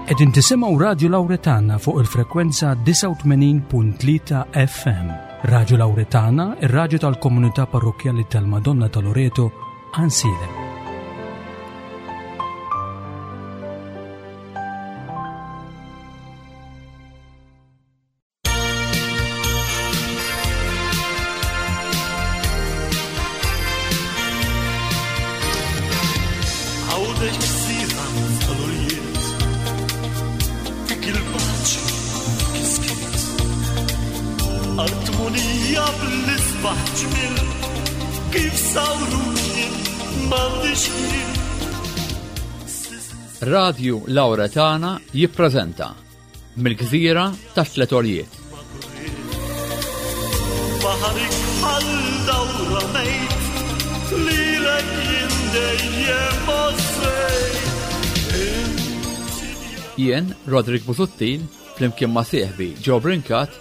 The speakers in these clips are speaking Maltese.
Qegħdin tisimgħu Radju Lawretana fuq il-frekwenza 89.3 FM. Radju Lawretana, ir-radju tal-komunità parrokkjali tal-Madonna ta' Loreto, Ansilem. Għawdex gżira tal-urjiet Dik il-paċi dik is-skiet Artmunija bl-isbaħ ġmil Kif sawruni m'għandix ħin Radju Lauretana jippreżenta Mill-gżira tat-tliet għoljiet. Baħarik bħal dawra mejt lilek jien dejjem Jien, Roderick Busuttil, flimkien ma' sieħbi Joe Brincat,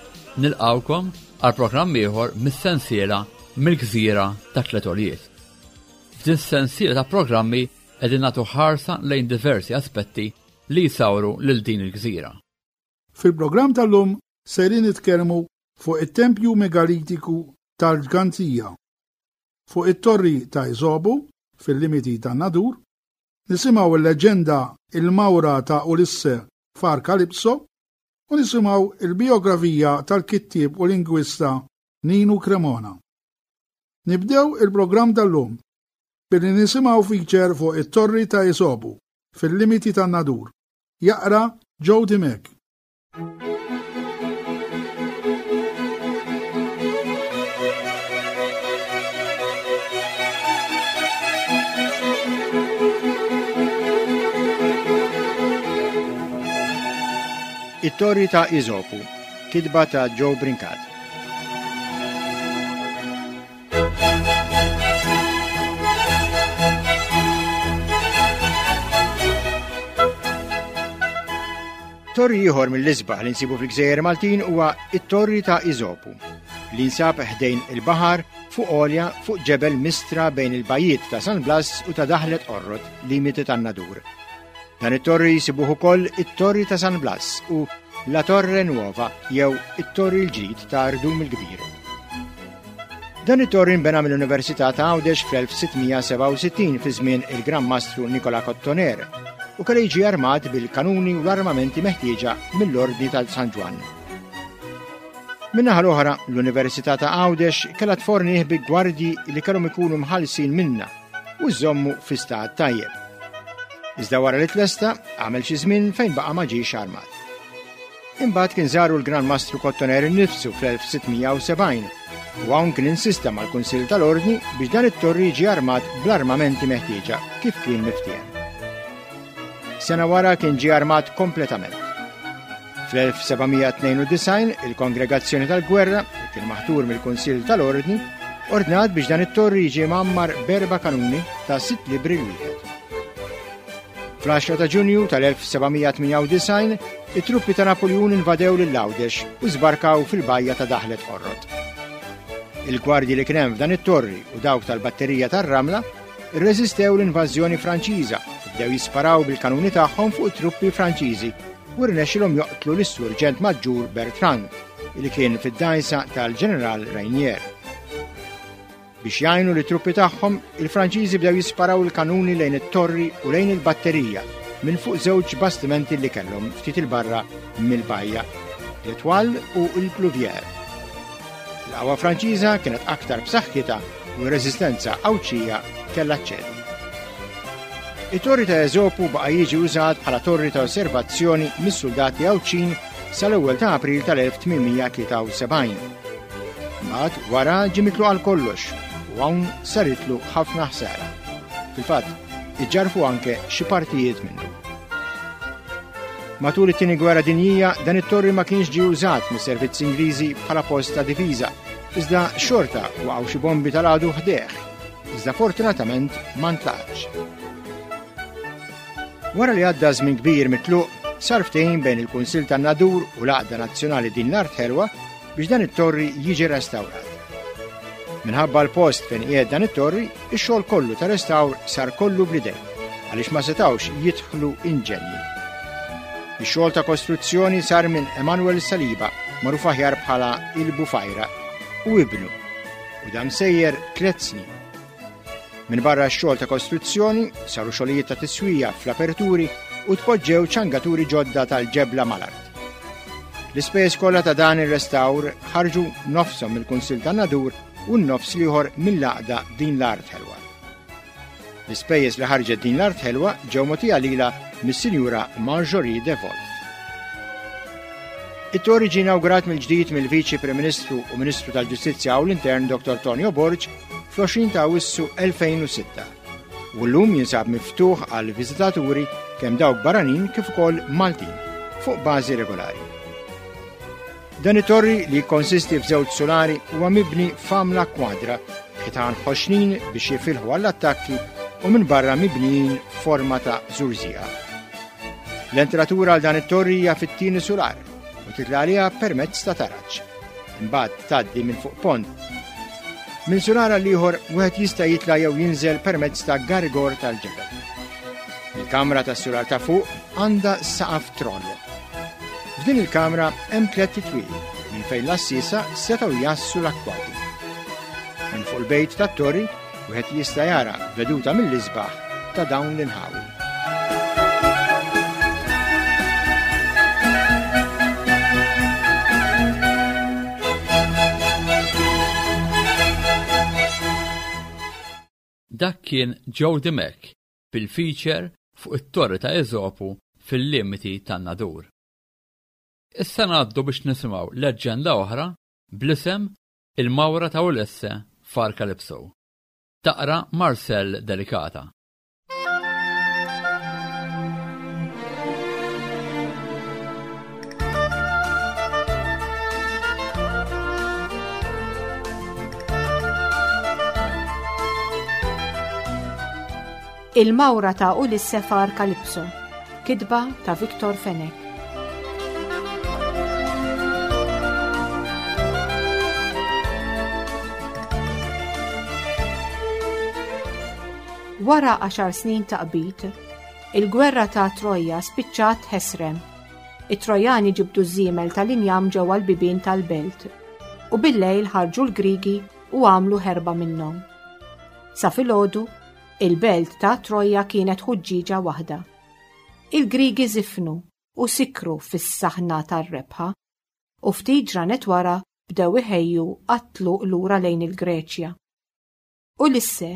nilqawkom għal programm ieħor mis-sensiela Mill-Gżira tat-Tliet Għoljiet. F'din sensiela ta' programmi qegħdin nagħtu ħarsa lejn diversi aspetti li jsawru lil din il-gżira. Fil-programm tal-lum sejrin nitkellmu fuq it-tempju megalitiku tal-Ġgantija, fuq it-torri ta' Iżobu fil-limiti tan-Nadur, nisimgħu l-leġġenda Il-Mawra ta' Ulisse f'Għar Kalipso u nisimgħu il-bijografija tal-kittieb u lingwista Ninu Cremona. Nibdew il-programm tal-lum billi nisimgħu feature fuq it-torri ta' Isobu fil-limiti tan-Nadur. Jaqra Joe Dimech. It-Torri ta' Isopu, kitba ta' Joe Brincat. Torri ieħor mill-isbaħ li nsibu fil-Gżejjer Maltin huwa it-Torri ta' Iżopu, li nsab ħdejn il-baħar fuq għolja fuq ġebel mistra bejn il-bajiet ta' San Blas u ta' Daħlet Qorrot, limiti tan-Nadur. Dan it-torri jsibuh ukoll it-Torri ta' San Blas u La Torre Nuova jew it-Torri l-ġdid ta' Rdum il-Kbir. Dan it-torri nbena mill-Università ta' Għawdex fl-1667 fi żmien il-Gran Mastru Nikola Kottoner u kellu jiġi armat bil-kanuni u l-armamenti meħtieġa mill-Ordni tal-San Ġwann. Min-naħa l-oħra, l-Università ta' Għawdex kellha tfornih bi gwardji li kellhom ikunu mħallsin minnha u żommu fi stat tajjeb. Iżda wara li tlesta, għamel xi żmien fejn baqa' ma ġiex armat. Imbagħad kien żaru l-Gran Mastru Kottoner innifsu fl-1670 u hawn kien insista mal-Kunsill tal-Ordni biex dan it-torri jiġi armat bl-armamenti meħtieġa kif kien miftiehem. Sena wara kien ġie armat kompletament. Fl-1792 il-Kongregazzjoni tal-Gwerra, li kien maħtur mill-Kunsill tal-Ordni, ordnat biex dan it-torri jiġi mgħammar berba kanuni ta' sitt libri l-wieħed. Fl-10 ta' Ġunju tal-1798, it-truppi ta' Napoljun invadew lil Għawdex u żbarkaw fil-bajja ta' Daħlet Qorrot. Il-gwardji li kien hemm f'dan it-torri u dawk tal-batterija tar-Ramla rreżistew l-invażjoni Franċiża u bdew jisparaw bil-kanuni tagħhom fuq it-truppi Franċiżi u rnexxilhom joqtlu lis-Surġent Maġġur Bertrand li kien fid-dgħajsa tal-Ġeneral Rainier. Biex jgħinu lit-truppi tagħhom, il-Franċiżi bdew jisparaw il-kanuni lejn it-torri u lejn il-batterija minn fuq żewġ bastimenti li kellhom ftit il-barra mill-bajja, l-Etoile u l-Pluvier. Il-qawwa Franċiża kienet aktar b'saħħitha u r-reżistenza Għawdxija kellha ċċedi. It-torri ta' Eżopu baqa' jiġi użat bħala torri ta' osservazzjoni mis-suldati Għawdxin sal-ewwel ta' April tal-1873. Mbagħad wara ġie mitluq għal kollox u hawn saritlu ħafna ħsara. Fil-fatt, iġġarfu anke xi partijiet minnu. Matul it-Tieni Gwerra Dinjija dan it-torri ma kienx ġie użat mis-servizzi Ingliżi bħala post ta' difiża, iżda xorta waqgħu xi bombi tal-għadu ħdejh. Iżda fortunatament ma ntlaqatx. Wara li għadda żmien kbir mitluq, sar ftehim bejn il-Kunsill tan-Nadur u l-Għaqda Nazzjonali Din l-Art Ħelwa biex dan it-torri jiġi restawrat. Minħabba l-post fejn qiegħed dan it-torri, ix-xogħol kollu ta' restawr sar kollu bl-idejn għaliex ma setgħux jidħlu inġenji. Ix-xogħol ta' kostruzzjoni sar minn Emanuel Saliba, magħruf aħjar bħala il-Bufajra, u ibnu, u dam sejjer tliet snin. Minn barra x-xogħol ta' kostruzzjoni saru xogħlijiet ta' tiswija fl-aperturi u tpoġġew ċangaturi ġodda tal-ġebla mal-art. L-ispejjeż kollha ta' dan ir-restawr ħarġu nofshom mill-Kunsill tan-Nadur u n-nofs l-ieħor mill-għaqda Din l-Art Ħelwa. L-ispejjeż li ħarġet din l-art ħelwa ġew mogħtija lilha mis-Sinjura Marjorie de Wolf. It-torri ġie inawgurat mill-ġdid mill-Viċi Prim Ministru u Ministru tal-Ġustizzja u l-Intern Dr. Tonio Borg fl-20 ta' Awwissu 2006 u llum jinsab miftuħ għal viżitaturi kemm dawk barranin kif ukoll Maltin fuq bażi regolari. Dan it-torri li jikkonsisti f'żewġ sulari huwa mibni f'għamla kwadra, b'ħitan ħoxnin biex jifilħu għall-attakki u minn barra mibnijin f'forma ta' żurżieqa. L-entratura għal dan it-torri hija fit-tieni sular u titla' għaliha permezz ta' taraġ. Imbagħad tgħaddi minn fuq pont. Minn sular għal ieħor wieħed jista' jitla' jew jinżel permezz ta' garigor tal-ġebel. Il-kamra tas-sular ta' fuq għandha saqaf troll. F'din il-kamra hemm tlett titwieqi minn fejn l-għassiesa setgħu jgħassu l-akkwati. Minn fuq il-bejt tat-torri wieħed jista' jara veduta mill-isbaħ ta' dawn l-inħawi. Dak kien Joe Dimech bil-feature fuq it-Torri ta' Eżopu fil-limiti tan-Nadur. Issa ngħaddu biex nisimgħu leġġenda oħra bl-isem Il-Mawra ta' Ulisse f'Għar Kalipso. Taqra Marcel Delicata. Il-Mawra ta' Ulisse f'Għar Kalipso, kitba ta' Victor Fenech. Wara għaxar snin ta' qbid, il-gwerra ta' Troja spiċċat ħesrem. It-Trojani ġibdu ż-żiemel tal-injam ġewwa l-bibien tal-belt u bil-lejl ħarġu l-Grigi u għamlu ħerba minnhom. Sa filgħodu, il-belt ta' Troja kienet ħuġġieġa waħda. Il-Grigi żifnu u sikru fis-saħna tar-rebħa, u ftit ġranet wara bdew iħejju għat-tluq lura lejn il-Greċja. Ulisse,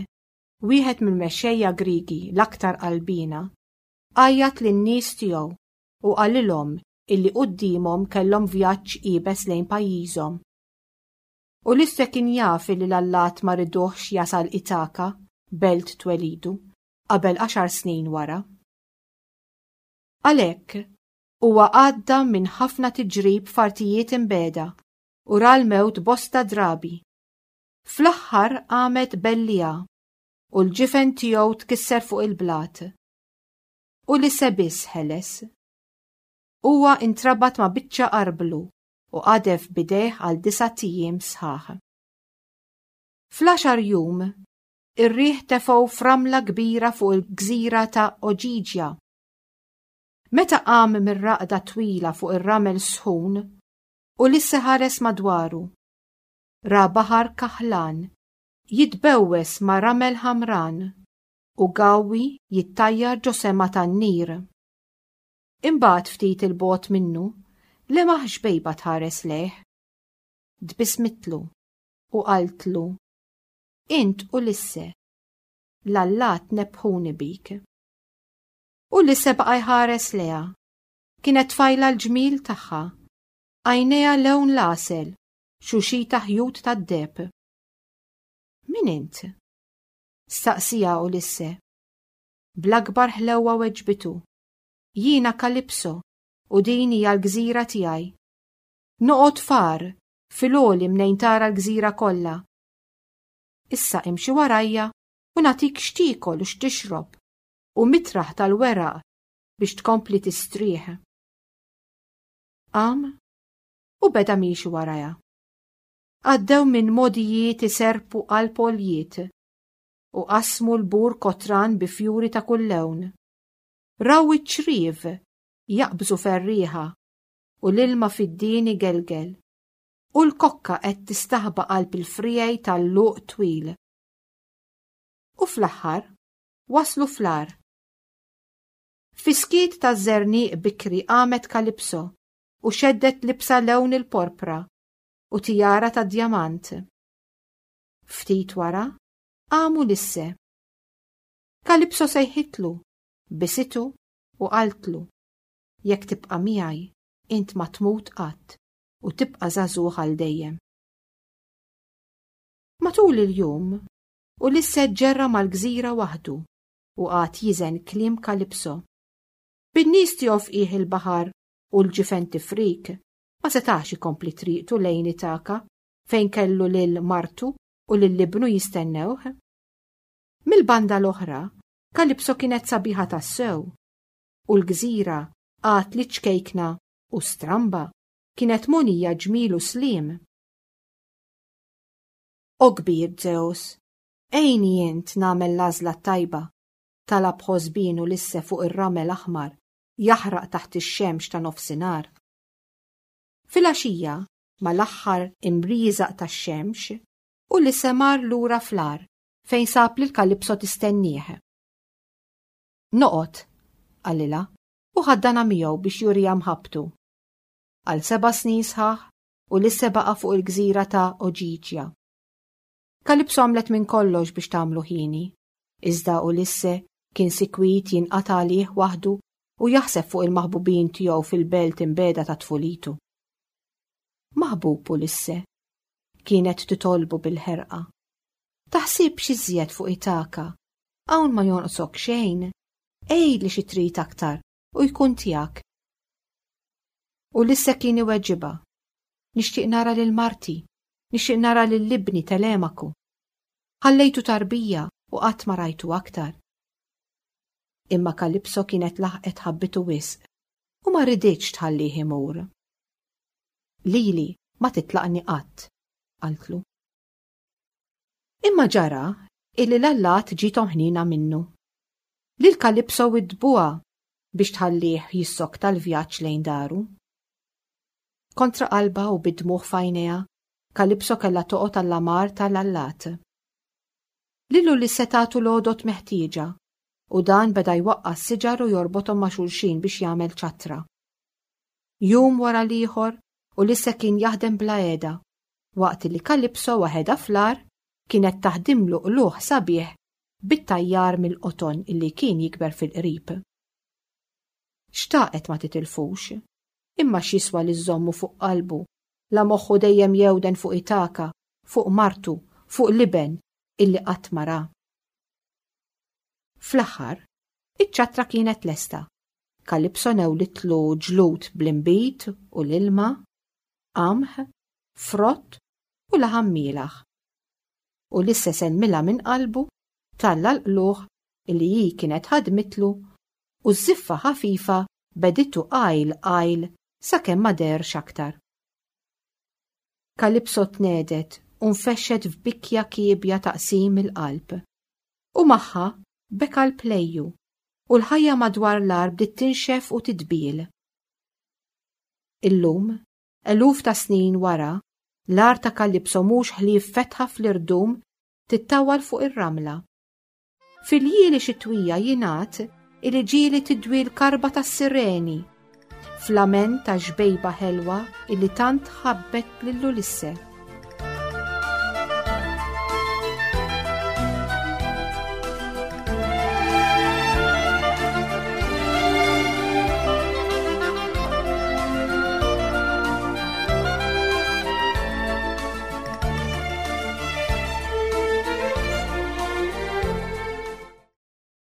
wieħed mill-mexxejja Grigi l-aktar qalbiena, għajjat lin-nies tiegħu u qalilhom illi quddiemhom kellhom vjaġġ iebes lejn pajjiżhom. Ulisse kien jaf illi l-allat ma riduhx jasal Itaka, belt twelidu, qabel għaxar snin wara. Għalhekk, huwa għadda minn ħafna tiġrib f'artijiet imbiegħda u ra l-mewt bosta drabi. Fl-aħħar qamet belliegħa u l-ġifen tiegħu tkisser fuq il-blat. Ulisse biss ħeles. Huwa intrabat ma' biċċa arblu u qadef b'idejh għal disat ijiem sħaħ. Fl-għaxar jum, ir-riħ tefgħu f'ramla kbira fuq il-gżira ta' Oġiġja. Meta qam mir-raqda twila fuq ir-ramel sħun, Ulisse ħares madwaru. Ra baħar kaħlan, jitbewwes ma' ramel ħamran u gawwi jittajjar ġo sema tan-nir. Imbagħad ftit 'il bogħod minnu, lemaħ xbejba tħares lejh. Tbissmitlu u qaltlu, Int Ulisse, l-allat nebbħuni bik. Ulisse baqa' jħares lejha. Kienet tfajla l-ġmiel tagħha, għajnejha lewn l-għasel, xuxita ħjut tad-deheb. Min int? staqsieha Ulisse. Bl-akbar ħlewwa weġbitu, Jiena Kalipso u din hija l-gżira tiegħi. Noqgħod f'għar, fil-għoli mnejn tara l-gżira kollha. Issa imxi warajja u nagħtik x'tiekol u x'tixrob u mitraħ tal-weraq biex tkompli tistrieħ. Qam u beda miexi warajha. Għaddew minn mogħdijiet iserrpu qalb għoljiet u qasmu l-bur kotran bi fjuri ta' kull lewn. Raw iċ-ċriev. jaqbżu ferrieħa u l-ilma fid-din igelgel, u l-kokka qed tistaħba qalb il-friegħi tal-luq twil. U fl-aħħar waslu fl-għar. Fis-skiet taż-żerniq bikri qamet Kalipso u xeddet libsa lewn il-porpra u tijara tad-djamant. Ftit wara qam Ulisse. Kalipso sejħitlu, bisitu u qaltlu, Jekk tibqa' miegħi, int ma tmut qatt u tibqa' żagħżugħ għal dejjem. Matul il-jum, Ulisse ġġerra mal-gżira waħdu u qagħad jiżen kliem Kalipso. Bin-nies tiegħu f'qiegħ il-baħar u l-ġifen tifrik, ma setax ikompli triqtu lejn Itaka fejn kellu lil martu u lil ibnu jistennewh. Mill-banda l-oħra, Kalipso kienet sabiħa tassew, u l-gżira għad li ċkejkna u stramba kienet mogħnija ġmiel u sliem. O kbir Zeus, għinni int nagħmel l-għażla t-tajba, talab ħosbien Ulisse fuq ir-ramel aħmar jaħraq taħt ix-xemx ta' nofsinhar. Filgħaxija, mal-aħħar imrieżaq tax-xemx, Ulisse mar lura fl-għar fejn sab lil Kalipso tistennieh. Noqgħod, qalilha, u ħaddanha miegħu biex juriha mħabbtu. Għal seba' snin sħaħ, Ulisse baqa' fuq il-gżira ta' Oġiġja. Kalipso għamlet minn kollox biex tagħmlu ħieni, iżda Ulisse kien sikwit jinqata' għalih waħdu u jaħseb fuq il-maħbubin tiegħu fil-belt imbegħda ta' tfulitu. Maħbub Ulisse, kienet titolbu bil-ħerqa. Taħsibx iżjed fuq Itaka, hawn ma jonqsok xejn, għidli xi trid aktar u jkun tiegħek. Ulisse kien iweġibha, Nixtieq nara lil marti, nixtieq nara lil ibni Telemaku. Ħallejtu tarbija u qatt ma rajtu aktar. Imma Kalipso kienet laħqet ħabbitu wisq u ma riditx tħallih imur. Lili ma titlaqni qatt, qaltlu. Imma ġara illi l-allat ġiethom ħniena minnu. Lil Kalipso widdbuha biex tħallih jissokta l-vjaġġ lejn daru. Kontra qalbha u bid-dmugħ f'għajnejha, Kalipso kellha toqgħod għall-amar ta' l-allat. Lil Ulisse tatu l-għodod meħtieġa, u dan beda jwaqqa' s-siġar u jorbothom ma' xulxin biex jagħmel ċattra. Jum wara l-ieħor, Ulisse kien jaħdem bla heda, waqt li Kalipso waħedha fl-għar kienet taħdimlu qlugħ sabiħ bit-tajjar mill-qoton illi kien jikber fil-qrib. Xtaqet ma titilfux, imma x'jiswa li żżommu fuq qalbu, la moħħu dejjem jewden fuq Itaka, fuq martu, fuq l-iben illi qatt ma ra. Fl-aħħar, iċ-ċattra kienet lesta. Kalipso newlitlu ġlud bl-inbid u l-ilma, qamħ, frott u laħam mielaħ. Ulisse sellmilha minn qalbu, talla l-qlugħ li hi kienet ħadmitlu u ż-żiffa ħafifa beditu qajl qajl sakemm ma deherx aktar. Kalipso tnegħdet u nfexxet f'bikja kiebja ta' qsim il-qalb. U magħha beka l-plejju u l-ħajja madwar l-għar bdiet tinxef u tidbiel. Illum, Eluf ta' snin wara, l-għar ta' Kalipso mhux ħlief fetħa fl-irdum tittawwal fuq ir-ramla. Fil-ljieli xitwija jingħad illi ġieli tidwi l-karba tas-sireni, f'lament ta' xbejba ħelwa illi tant ħabbet lil Ulisse.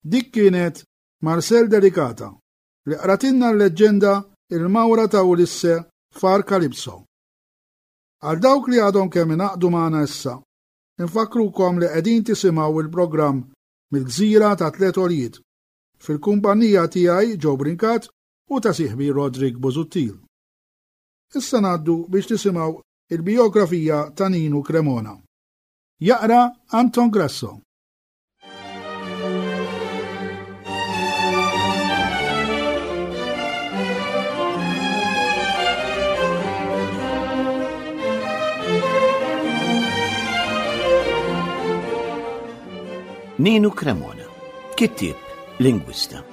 Dik kienet Marcel Delicata li qratilna l-leġġenda Il-Mawra ta' Ulisse f'Għar Kalipso. Għal dawk li għadhom kemm ingħaqdu magħna issa, infakkrukom li qegħdin tisimgħu il-programm mill-Gżira ta' Tliet Għoljiet fil-kumpanija tiegħi Joe Brincat u ta' sieħbi Roderick Busuttil. Issa ngħaddu biex nisimgħu il-bijografija ta' Ninu Cremona. Jaqra Anton Grasso. Ninu Cremona, kittieb lingwista.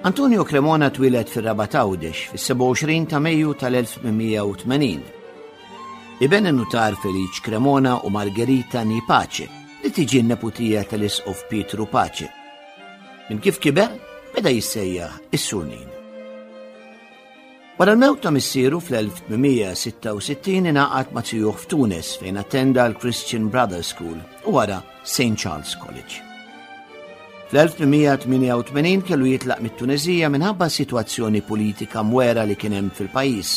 Antonio Cremona twieled fir-Rabat Għawdex fis-27 ta' Mejju tal-1880. Iben in-nutar Feliċ Cremona u Margherita Ni Pace, li tiġi n-neputija tal-Isqof Pietru Pace. Minn kif kiber, beda jissejjaħ is-Sur Nin. Wara l-mewt ta' missieru fl-1866 ingħaqad ma' zijuh f'Tunis fejn attenda l-Christian Brothers School u wara St. Charles College. Fl-1888 kellu jitlaq mit-Tuneżija minħabba sitwazzjoni politika mwera li kien hemm fil-pajjiż.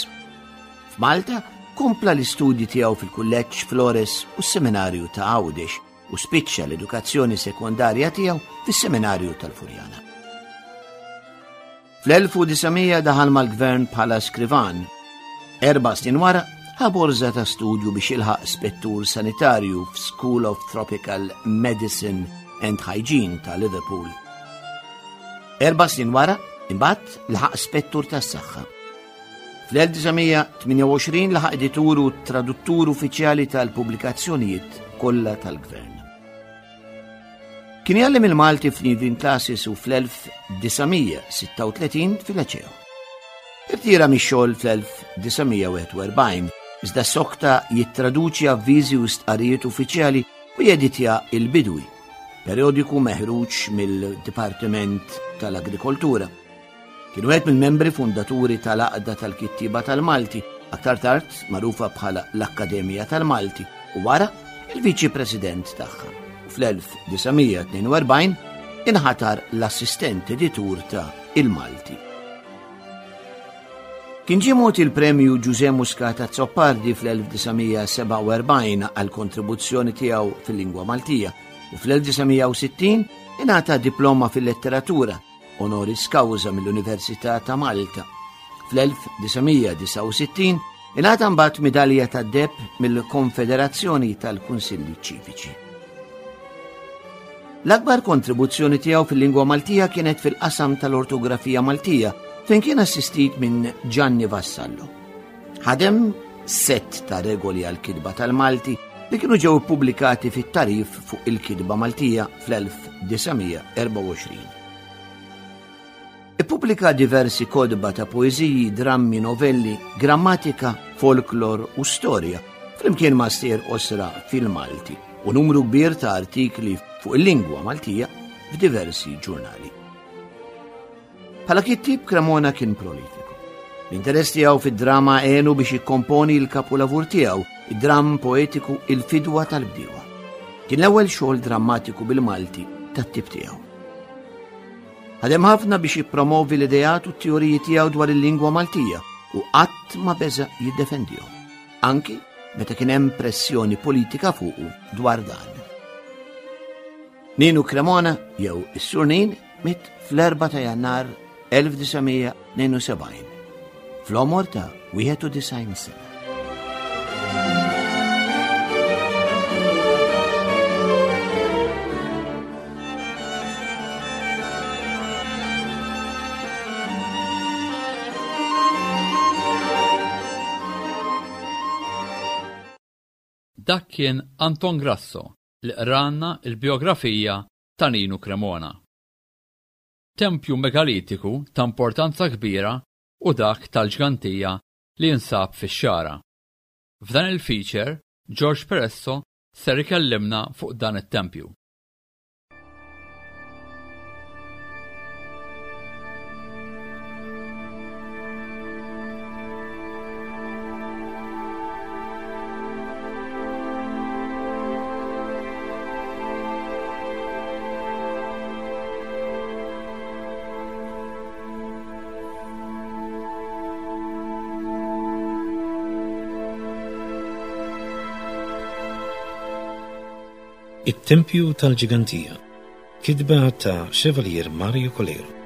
F'Malta kompla l-istudji tiegħu fil-Kulleġġ Flores u s-Seminarju ta' Għawdex u spiċċa l-edukazzjoni sekondarja tiegħu fis-Seminarju tal-Furjana. Fl-1900 daħal mal-gvern bħala skrivan. Erba' snin wara ħa borża ta' studju biex jilħaq spettur sanitarju f'School of Tropical Medicine and Hygiene ta' Liverpool. Erba' snin wara, imbagħad laħaq spettur tas-saħħa. Fl-1928 laħaq editur u traduttur uffiċjali tal-pubblikazzjonijiet kollha tal-gvern. Kien jgħallem il-Malti fl-Evening Classes u fl-1936 fil-Liceo. Irtira mix-xogħol fl-1941, iżda sokta jittraduċi avviżi u stqarrijiet uffiċjali u jeditja Il-Bidwi, periodiku meħruġ mill-Dipartiment tal-Agrikoltura. Kien wieħed mill-membri fundaturi tal-Għaqda tal-Kittieba tal-Malti, aktar tard magħrufa bħala l-Akkademja tal-Malti, u wara il-Viċi President tagħha. U fl-1942 inħatar l-assistent editur ta' Il-Malti. Kien ġie mogħti l-Premju Ġużè Muscat Azzopardi fl-1947 għall-kontribuzzjoni tiegħu fil-lingwa Maltija u fl-1960 ingħata diploma fil-letteratura honoris causa mill-Università ta' Malta. Fl-1969 ingħata mbagħad midalja tad-deheb mill-Konfederazzjoni tal-Kunsilli Ċiviċi. L-akbar kontribuzzjoni tiegħu fil-lingwa Maltija kienet fil-qasam tal-ortografija Maltija fejn kien assistit minn Gianni Vassallo. Ħadem sett ta' regoli għal-kitba tal-Malti li kienu ġew ippubblikati fit-tarif fuq il-kitba Maltija fl-1924. Ippubblika diversi kotba ta' poeżiji, drammi, novelli, grammatika, folklor u storja, flimkien ma' stejjer qosra fil-Malti u numru kbir ta' artikli fuq il-lingwa Maltija f'diversi ġurnali. Bħala kittieb Cremona kien prolifiku. L-interess tiegħu fid-drama għenu biex jikkomponi l-kapulavur tiegħu, id-dramm poetiku Il-Fidwa tal-Bdiewa. Kien l-ewwel xogħol drammatiku bil-Malti tat-tip tiegħu. Ħadem ħafna biex jippromovi l-ideat u t-teoriji tiegħu dwar il-lingwa Maltija u qatt ma beża jiddefendihom, anki meta kien hemm pressjoni politika fuqu dwar dan. Ninu Cremona jew is-Sur Nin miet fl-4 ta' Jannar 1972 fl-għomor ta' 91 sena. Dak kien Anton Grasso li qralna l-bijografija ta' Ninu Cremona. Tempju megalitiku ta' importanza kbira hu dak tal-Ġgantija li jinsab fix-Xagħra. F'dan il-feature, George Peresso ser ikellimna fuq dan it-tempju. It-Tempju tal-Ġigantija, kitba ta' Chevalier Mario Coleiro.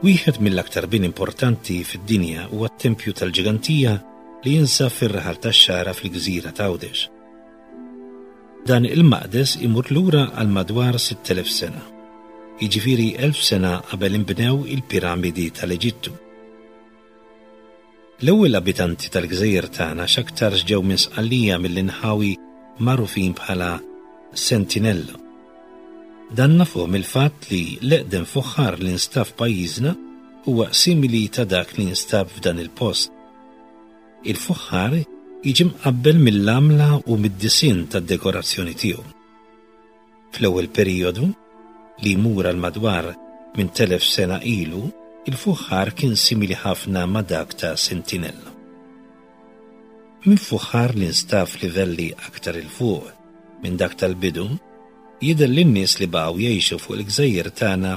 Wieħed mill-aktar bini importanti fid-dinja huwa t-Tempju tal-Ġigantija li jinsab fir-raħal tax-Xagħra fil-gżira t'Għawdex. Dan il-maqdes imur lura għal madwar 6,000 sena, jiġifieri 1,000 sena qabel inbnew il-piramidi tal-Eġittu. L-ewwel abitanti tal-gżejjer tagħna x'aktarx ġew minn Sqallija mill-inħawi magħrufin bħala Sentinella. Dan nafuh mill-fatt li l-eqdem fuħħar li nstab f'pajjiżna huwa simili ta' dak li nstab f'dan il-post. Il-fuħħar jiġi mqabbel mill-għamla u mid-disinn tad-dekorazzjoni tiegħu. Fl-ewwel perijodu, li jmur għal madwar 8,000 sena ilu, il-fuħħar kien simili ħafna ma' dak ta' Sentinella. Minn fuħħar li nstab f'livelli aktar 'il fuq minn dak tal-bidu, jidher li n-nies li baqgħu jgħixu fuq il-gżejjer tagħna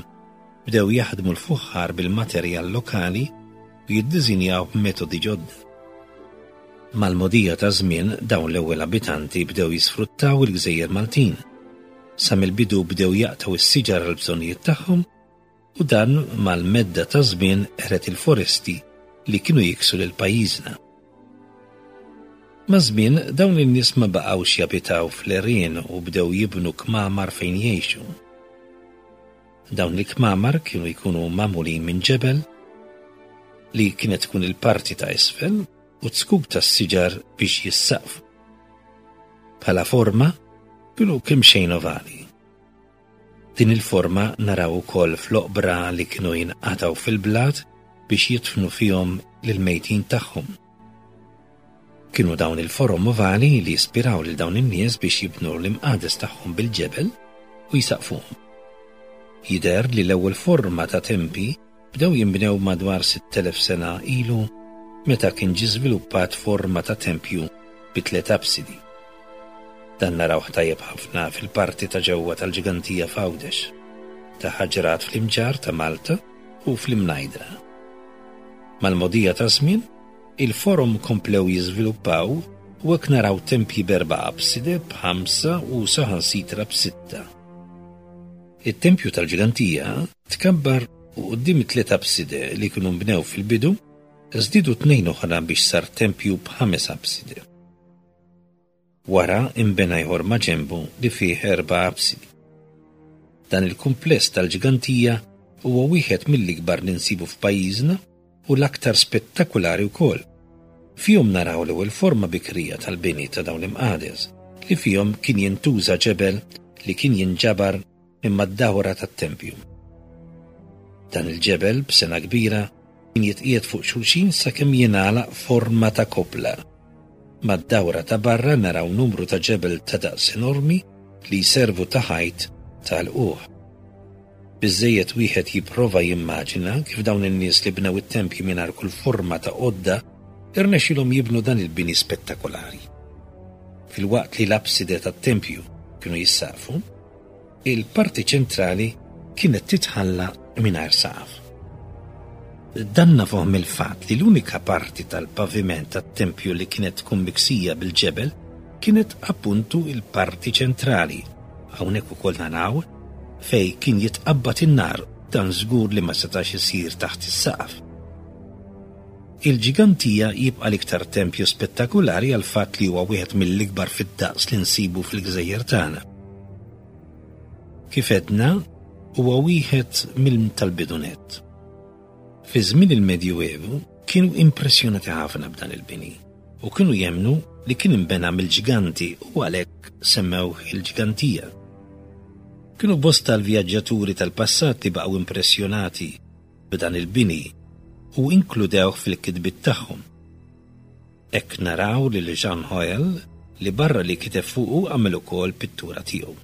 bdew jaħdmu l-fuħħar bil-materjal lokali u jiddiżinjaw b'metodi ġodda. Mal-mogħdija taż-żmien dawn l-ewwel abitanti bdew jisfruttaw il-gżejjer Maltin. Sa mill-bidu bdew jaqtgħu s-siġar għall-bżonnijiet tagħhom u dan mal-medda taż-żmien qered il-foresti li kienu jiksu lil pajjiżna. Maż-żmien dawn in-nies ma baqgħux jabitaw fl-għerien u bdew jibnu kmamar fejn jgħixu. Dawn il-kmamar kienu jkunu magħmulin minn ġebel li kienet tkun il-parti ta' isfel u zkuk tas-siġar biex jissaqfu. Bħala forma kienu kemm xejn ovali. Din il-forma naraw ukoll fl-oqbra li kienu jinqatgħu fil-blat biex jidfnu fihom lill-mejtin tagħhom. Kienu dawn il-forom ovali li ispiraw lil dawn in-nies biex jibnu l-imqades tagħhom bil-ġebel u jsaqfuhom. Jidher li l-ewwel forma ta' tempi bdew jinbnew madwar 6,000 sena ilu meta kien ġie żviluppat forma ta' tempju bi tliet apsidi. Dan narawh tajjeb ħafna fil-parti ta' ġewwa tal-Ġigantija f'Għawdex, ta' Ħaġrat fl-Imġarr ta' Malta u fl-Imnajdra. Mal-mogħdija taż-żmien, Il-forom komplew jiżviluppaw u hekk naraw tempji b'erba' apside, b'ħamsa u saħansitra b'sitta. It-tempju tal-Ġgantija tkabbar u quddiem it-tliet apside li kienu nbnew fil-bidu, żdiedu tnejn oħra biex sar tempju b'ħames apside. Wara inbena ieħor maġenbu li fih erba' apsidi. Dan il-kumpless tal-Ġgantija huwa wieħed mill-ikbar li nsibu f'pajjiżna u l-aktar spettakulari wkoll. Fihom naraw l-ewwel forma bikrija tal-bini ta' dawn l-imqades li fihom kien jintuża ġebel li kien jinġabar minn mad-dawra tat-tempju. Dan il-ġebel b'sengħa kbira kien jitqiegħed fuq xulxin sakemm jingħalaq forma ta' koppla. Mad-dawra ta' barra naraw numru ta' ġebel ta' daqs enormi li jservu ta' ħajt ta' lqugħ. Biżżejjed wieħed jipprova jimmaġina kif dawn in-nies li bnew it-tempji mingħajr kull forma ta' għodda rnexxielhom jibnu dan il-bini spettakolari. Filwaqt li l-apside tat-tempju kienu jissaqfu, il-parti ċentrali kienet titħalla mingħajr saqaf. Dan nafuh mill-fatt li l-unika parti tal-paviment tat-tempju li kienet tkun miksija bil-ġebel kienet appuntu il-parti ċentrali. Hawnhekk ukoll naraw fejn kien jitqabbad in-nar, dan żgur li ma setax isir taħt is-saqaf. Il-Ġigantija jibqa' l-iktar tempju spettakulari għall-fatt li huwa wieħed mill-ikbar fid-daqs li nsibu fil-gżejjer tagħna. Kif għedna, huwa wieħed mill tal-bidu nett. Fi żmien il-Medjuevu kienu impressjonati ħafna b'dan il-bini u kienu jemmnu li kien inbena mill-ġganti u għalhekk semmewh il-Ġgantija. Kienu bosta l-vjaġġaturi tal-passat li baqgħu impressjonati b'dan il-bini u inkludewh fil-kitbiet tagħhom. Hekk naraw lil Jean Hoel li barra li kiteb fuqu għamel ukoll pittura tiegħu.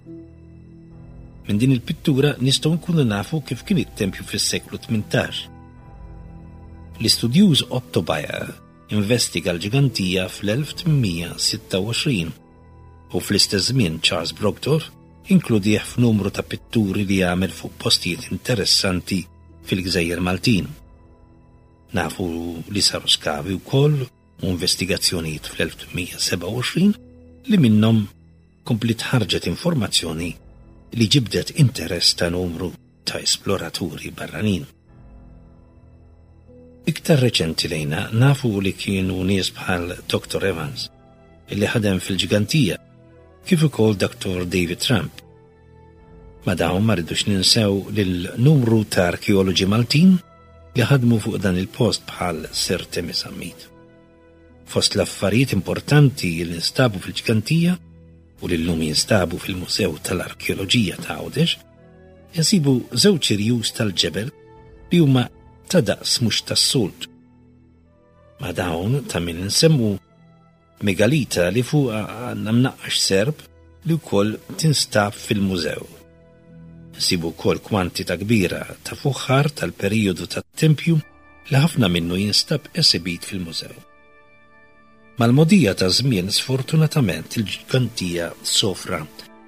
Minn din il-pittura nistgħu nkunu nafu kif kien it-tempju fis-seklu 18. L-istudjuż Otto Bayer investiga l-ġgantija fl-1826 u fl-istess żmien Charles Brockdorff inkludih f'numru ta' pitturi li għamel fuq postijiet interessanti fil-Gżejjer Maltin. Nafu li saru skavi wkoll u investigazzjonijiet fl-1827 li minnhom kompliet ħarġet informazzjoni li ġibdet interess ta' numru ta' esploraturi barranin. Iktar reċenti lejna nafu li kienu nies bħal Dr. Evans, illi ħadem fil-ġgantija, kif ukoll Dr. David Trump. Ma dawn ma rridux ninsew lil numru ta' arkeoloġi Maltin li ħadmu fuq dan il-post bħal Sir Temi Sammit. Fost l-affarijiet importanti li nstabu fil-ġgantija u li llum jinstabu fil-Mużew tal-Arkeoloġija ta' Għawdex, insibu żewġ irjus tal-ġebel li huma ta' daqs mhux tas-soltu. Ma' dawn ta' min insemmu megalita li fuqha għandna mnaqqax serp li wkoll tinstab fil-mużew. Nsibu wkoll kwantità kbira ta' fuħħar tal-perijodu tat-tempju li ħafna minnu jinstab esibit fil-mużew. Mal-mogħdija taż-żmien sfortunatament il-ġgantija sofra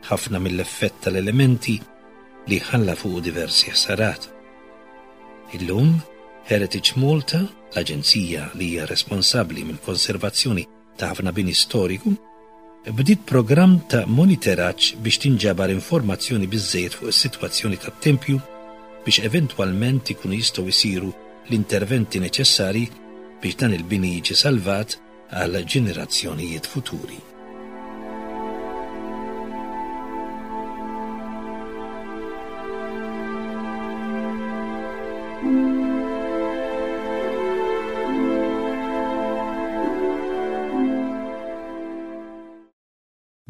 ħafna mill-effett tal-elementi li ħalla fuqu diversi ħsarat. Illum, Heritage Malta, l-aġenzija li hija responsabbli mill-konservazzjoni ta' ħafna bini storiku, bdiet programm ta' moniteraġġ biex tinġabar informazzjoni biżżejjed fuq is-sitwazzjoni tat-tempju biex eventwalment ikunu jistgħu jsiru l-interventi neċessarji biex dan il-bini jiġi salvat għal ġenerazzjonijiet futuri.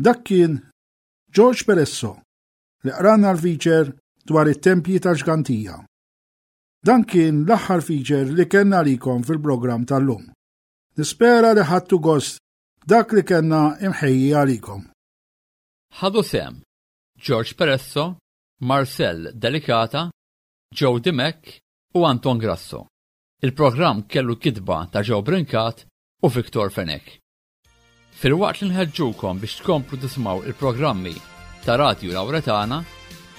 Dak kien George Peresso li qrana l-feature dwar it-tempji tal-ġgantija. Dan kien l-aħħar feature li kellna għalikom fil-programm tal-lum. Nispera li ħadtu gost dak li kellna imħejji għalikom. Ħadu sehem George Peresso, Marcel Delicata, Joe Dimech u Anton Grasso. Il-programm kellu kitba ta' Joe Brincat u Victor Fenech. Filwaqt li nħeġġukom biex tkomplu tisimgħu il-programmi ta' Radju Lawretana,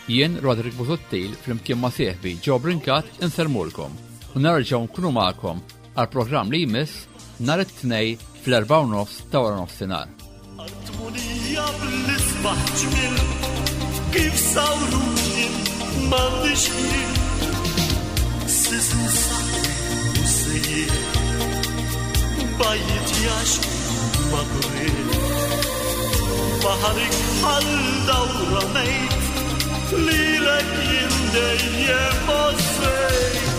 jien Roderick Busuttil flimkien ma' sieħbi Joe Brincat insellmulkom u nerġgħu nkunu magħkom għal programm li jmiss nhar it-Tnejn fl-4:30 ta' wara nofsinhar. Artmunija bl-isbaħ ġmiel kif sawruni m'għandix ħin. Sisin u sejjer bajjiet jax ma' Baħarik bħal dawra mejt lilek jien dejjem għożżejt.